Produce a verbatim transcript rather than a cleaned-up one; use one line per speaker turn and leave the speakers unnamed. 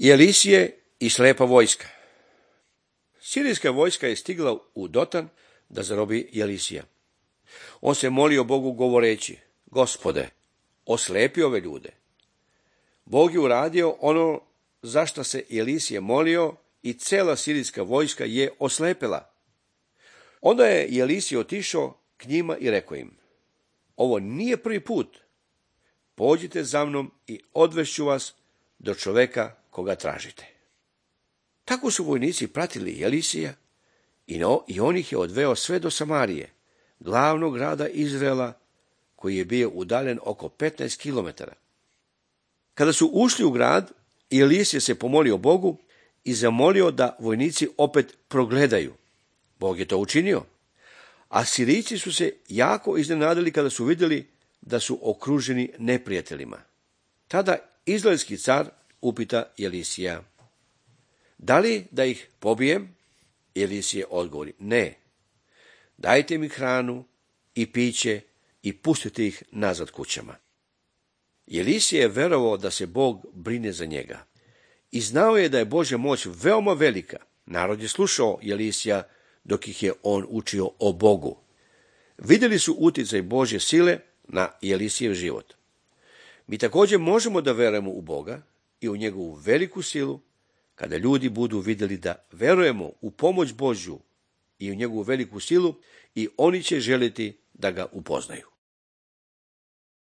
I Elisije i slepa vojska. Sirijska vojska je stigla u Dotan da zarobi Elisija. On se molio Bogu govoreći: Gospode, oslepi ove ljude. Bog je uradio ono zašto se Elisije molio i cela sirijska vojska je oslepela. Onda je Elisije otišao k njima i rekao im: ovo nije prvi put. Pođite za mnom i odvešću vas do čoveka koga tražite. Tako su vojnici pratili Elisija i, no, i on ih je odveo sve do Samarije, glavnog grada Izraela, koji je bio udaljen oko petnaest kilometara. Kada su ušli u grad, Elisije se pomolio Bogu i zamolio da vojnici opet progledaju. Bog je to učinio, a Sirijci su se jako iznenadili kada su vidjeli da su okruženi neprijateljima. Tada izraelski car upita Elisija: da li da ih pobijem? Elisije odgovori: ne, dajte mi hranu i piće i pustite ih nazad kućama. Elisije je verovao da se Bog brine za njega i znao je da je Božja moć veoma velika. Narod je slušao Elisija dok ih je on učio o Bogu. Vidjeli su utjecaj Božje sile na Elisijev život. Mi također možemo da verujemo u Boga i u njegovu veliku silu kada ljudi budu vidjeli da verujemo u pomoć Božju i u njegovu veliku silu, i oni će želiti da ga upoznaju.